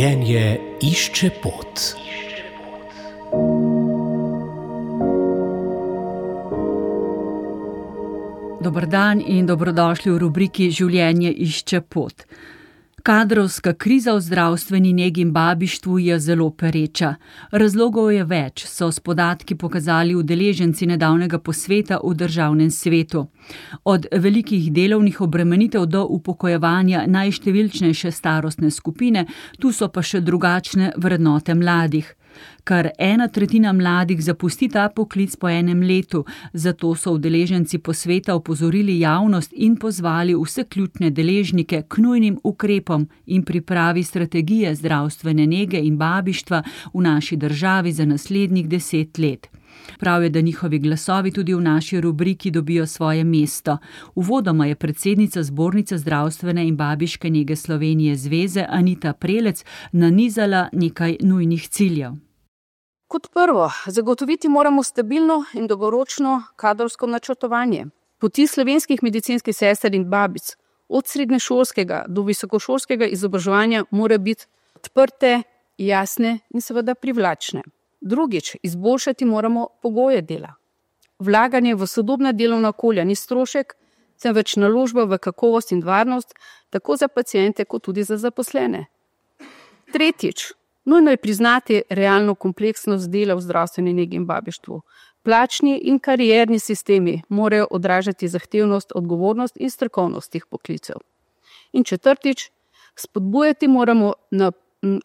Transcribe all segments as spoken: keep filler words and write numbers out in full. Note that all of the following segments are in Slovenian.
Življenje išče pot. Dober dan in dobrodošli v rubriki Življenje išče pot. Kadrovska kriza v zdravstveni negi in babištvu je zelo pereča. Razlogov je več, so s podatki pokazali udeleženci nedavnega posveta v državnem svetu. Od velikih delovnih obremenitev do upokojevanja najštevilčnejše starostne skupine, tu so pa še drugačne vrednote mladih. Kar ena tretjina mladih zapusti ta poklic po enem letu, zato so udeleženci posveta opozorili javnost in pozvali vse ključne deležnike k nujnim ukrepom in pripravi strategije zdravstvene nege in babištva v naši državi za naslednjih deset let. Prav je, da njihovi glasovi tudi v naši rubriki dobijo svoje mesto. Uvodoma je predsednica Zbornice zdravstvene in babiške nege Slovenije zveze Anita Prelec nanizala nekaj nujnih ciljev. Kot prvo, zagotoviti moramo stabilno in dolgoročno kadrovsko načrtovanje. Poti slovenskih medicinskih sester in babic od srednješolskega do visokošolskega izobraževanja mora biti odprte, jasne in seveda privlačne. Drugič, izboljšati moramo pogoje dela. Vlaganje v sodobna delovna okolja ni strošek, temveč naložba v kakovost in varnost, tako za paciente kot tudi za zaposlene. Tretjič, nujno je priznati realno kompleksnost dela v zdravstveni negi in babištvu. Plačni in karierni sistemi morajo odražati zahtevnost, odgovornost in strokovnost teh poklicev. In četrtič, spodbujati moramo na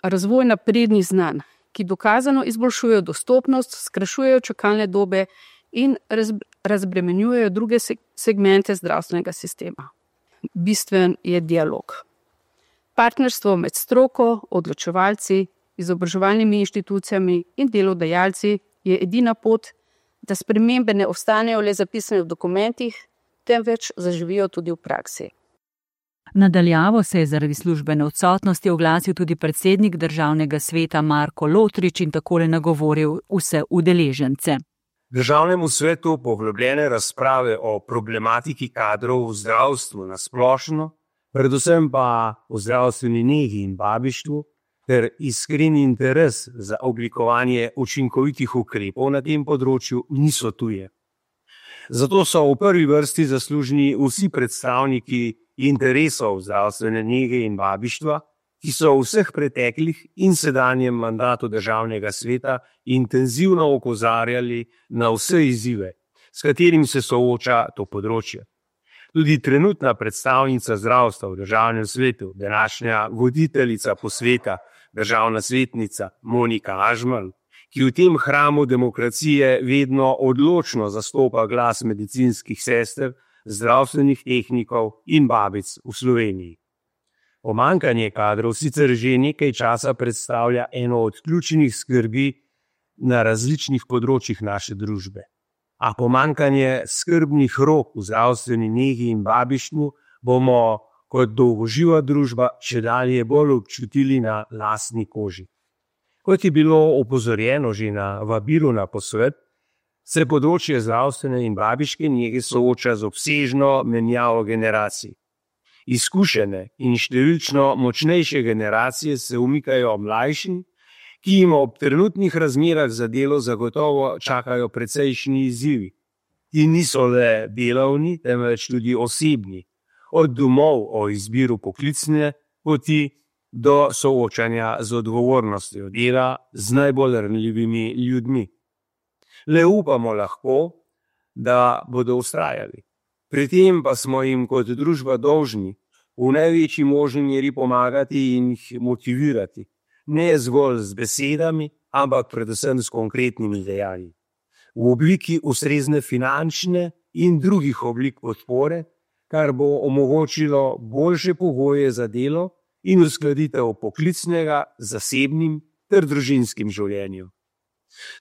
razvoj naprednih znanj, ki dokazano izboljšujejo dostopnost, skrajšujejo čakalne dobe in razbremenjujejo druge segmente zdravstvenega sistema. Bistven je dialog. Partnerstvo med stroko, odločevalci, izobraževalnimi inštitucijami in delodajalci je edina pot, da spremembe ne ostanejo le zapisane v dokumentih, temveč zaživijo tudi v praksi. Nadaljavo se je zaradi službene odsotnosti oglasil tudi predsednik državnega sveta Marko Lotrič in takole nagovoril vse udeležence. Državnemu svetu poglobljene razprave o problematiki kadrov v zdravstvu na splošno, predvsem pa v zdravstveni negi in babištvu, ter iskreni interes za oblikovanje učinkovitih ukrepov na tem področju niso tuje. Zato so v prvi vrsti zaslužni vsi predstavniki interesov zdravstvene nege in babištva, ki so v vseh preteklih in sedanjem mandatu državnega sveta intenzivno opozarjali na vse izzive, s katerim se sooča to področje. Tudi trenutna predstavnica zdravstva v državnem svetu, današnja voditeljica posveta, državna svetnica Monika Ažman, ki v tem hramu demokracije vedno odločno zastopa glas medicinskih sester, zdravstvenih tehnikov in babic v Sloveniji. Pomanjkanje kadrov sicer že nekaj časa predstavlja eno od ključnih skrbi na različnih področjih naše družbe. A pomanjkanje skrbnih rok v zdravstveni negi in babištvu bomo kot dolgoživa družba čedalje bolj občutili na lastni koži. Kot je bilo opozorjeno že na vabilu na posvet, se področje zdravstvene in babiške nege sooča z obsežno menjavo generacij. Izkušene in številčno močnejše generacije se umikajo mlajšim, ki jim ob trenutnih razmerah za delo zagotovo čakajo precejšnji izzivi. Ti niso le delovni, temveč tudi osebni, od domov o izbiru poklicne poti do soočanja z odgovornostjo dela z najbolj ranljivimi ljudmi. Le upamo lahko, da bodo vztrajali. Pri tem pa smo jim kot družba dolžni v največji možni meri pomagati in jih motivirati, ne zgolj z besedami, ampak predvsem s konkretnimi dejanji. V obliki ustrezne finančne in drugih oblik podpore, kar bo omogočilo boljše pogoje za delo in uskladitev poklicnega, zasebnim ter družinskim življenjem.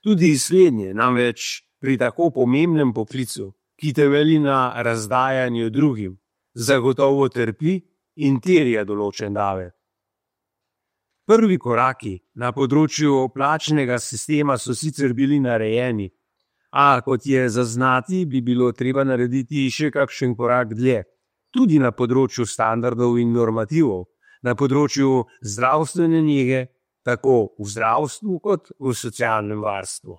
Tudi slednje namreč pri tako pomembnem poklicu, ki temelji na razdajanju drugim, zagotovo trpi in terja določen davek. Prvi koraki na področju plačnega sistema so sicer bili narejeni, a kot je zaznati, bi bilo treba narediti še kakšen korak dlje, tudi na področju standardov in normativov, na področju zdravstvene nege, tako v zdravstvu kot v socialnem varstvu.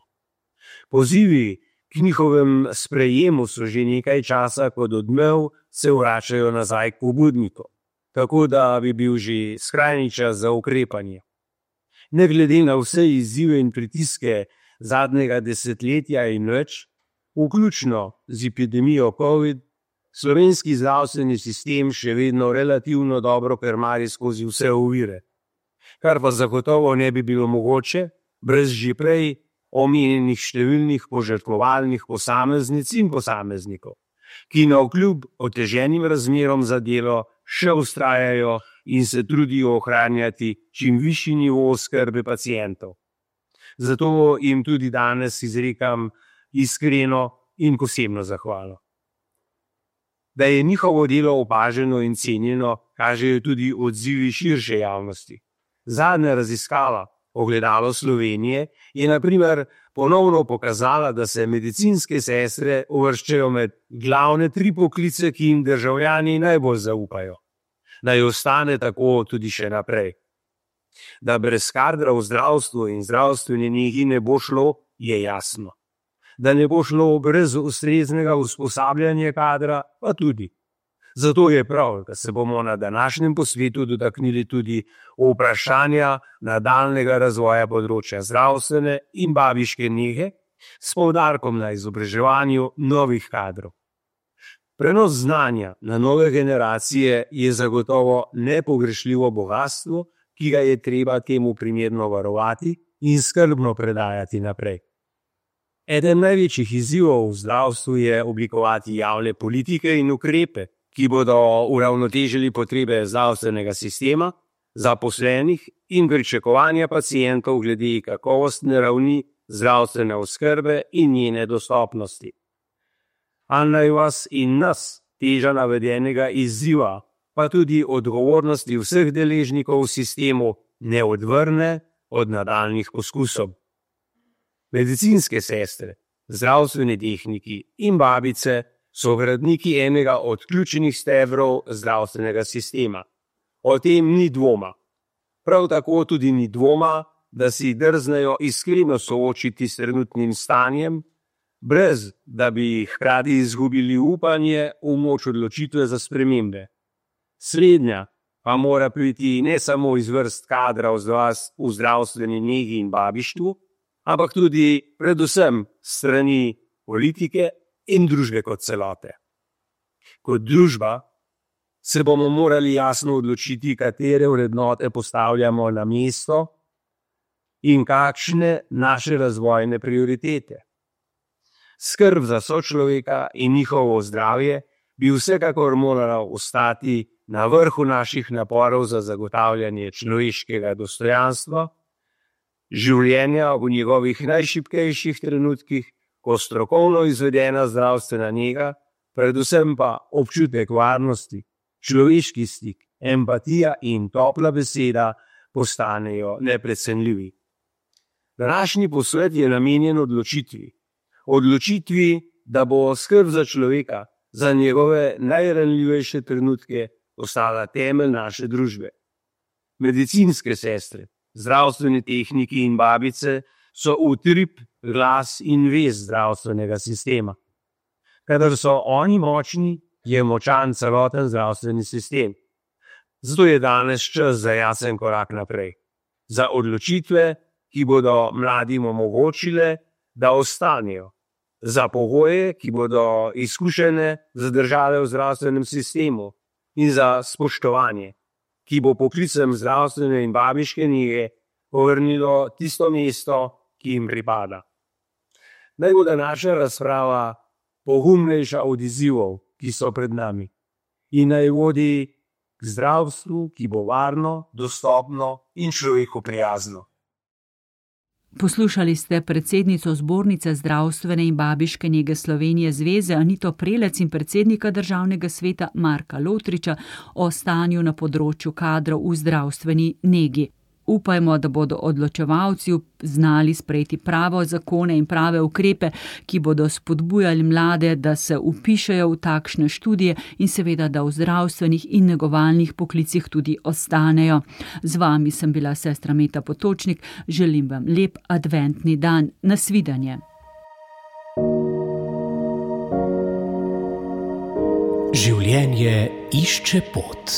Pozivi k njihovem sprejemu so že nekaj časa kot odmev se vračajo nazaj k pobudniku, tako da bi bil že skrajni čas za ukrepanje. Ne glede na vse izzive in pritiske zadnjega desetletja in več, vključno z epidemijo COVID, slovenski zdravstveni sistem še vedno relativno dobro krmari skozi vse ovire, kar pa zagotovo ne bi bilo mogoče brez že prej omenjenih številnih požrtvovalnih posameznic in posameznikov, ki navkljub oteženim razmerom za delo še vztrajajo in se trudijo ohranjati čim višji nivo oskrbe pacientov. Zato jim tudi danes izrekam iskreno in posebno zahvalo. Da je njihovo delo opaženo in cenjeno, kažejo tudi odzivi širše javnosti. Zadnja raziskava Ogledalo Slovenije je na primer ponovno pokazala, da se medicinske sestre uvrščajo med glavne tri poklice, ki jim državljani najbolj zaupajo. Naj ostane tako tudi še naprej. Da brez kadra v zdravstvu in zdravstveni negi ne bo šlo, je jasno. Da ne bo šlo brez ustreznega usposabljanja kadra, pa tudi. Zato je prav, da se bomo na današnjem posvetu dotaknili tudi vprašanja nadaljnjega razvoja področja zdravstvene in babiške nege s poudarkom na izobraževanju novih kadrov. Prenos znanja na nove generacije je zagotovo nepogrešljivo bogastvo, ki ga je treba temu primerno varovati in skrbno predajati naprej. Eden največjih izzivov v zdravstvu je oblikovati javne politike in ukrepe, ki bodo uravnotežili potrebe zdravstvenega sistema, zaposlenih in pričakovanja pacientov glede kakovostne ravni zdravstvene oskrbe in njene dostopnosti. A naj vas in nas teža navedenega izziva, pa tudi odgovornosti vseh deležnikov v sistemu ne odvrne od nadaljnjih poskusov. Medicinske sestre, zdravstveni tehniki in babice so gradniki enega od ključnih stebrov zdravstvenega sistema. O tem ni dvoma. Prav tako tudi ni dvoma, da si drznejo iskreno soočiti s trenutnim stanjem, brez da bi hkrati izgubili upanje v moč odločitve za spremembe. Slednja pa mora priti ne samo iz vrst kadra v zdravstveni negi in babištvu, ampak tudi predvsem strani politike in družbe kot celote. Kot družba se bomo morali jasno odločiti, katere vrednote postavljamo na mesto in kakšne naše razvojne prioritete. Skrb za sočloveka in njihovo zdravje bi vsekakor morala ostati na vrhu naših naporov za zagotavljanje človeškega dostojanstva, življenja v njegovih najšibkejših trenutkih, ko strokovno izvedena zdravstvena nega, predvsem pa občutek varnosti, človeški stik, empatija in topla beseda postanejo neprecenljivi. Današnji posvet je namenjen odločitvi. Odločitvi, da bo skrb za človeka, za njegove najranljivejše trenutke ostala temelj naše družbe. Medicinske sestre, zdravstveni tehniki in babice so utrip, glas in vez zdravstvenega sistema. Kadar so oni močni, je močan celoten zdravstveni sistem. Zato je danes čas za jasen korak naprej. Za odločitve, ki bodo mladim omogočile, da ostanejo. Za pogoje, ki bodo izkušene zadržale v zdravstvenem sistemu. In za spoštovanje, ki bo poklicem zdravstvene in babiške nege povrnilo tisto mesto, ki jim pripada. Naj bo današnja razprava pogumnejša od izzivov, ki so pred nami, in naj vodi k zdravstvu, ki bo varno, dostopno in človeku prijazno. Poslušali ste predsednico Zbornice zdravstvene in babiške nege Slovenije zveze Anito Prelec in predsednika Državnega sveta Marka Lotriča o stanju na področju kadrov v zdravstveni negi. Upajmo, da bodo odločevalci znali sprejeti prave zakone in prave ukrepe, ki bodo spodbujali mlade, da se vpišejo v takšne študije in seveda, da v zdravstvenih in negovalnih poklicih tudi ostanejo. Z vami sem bila sestra Meta Potočnik. Želim vam lep adventni dan. Nasvidenje. Življenje išče pot.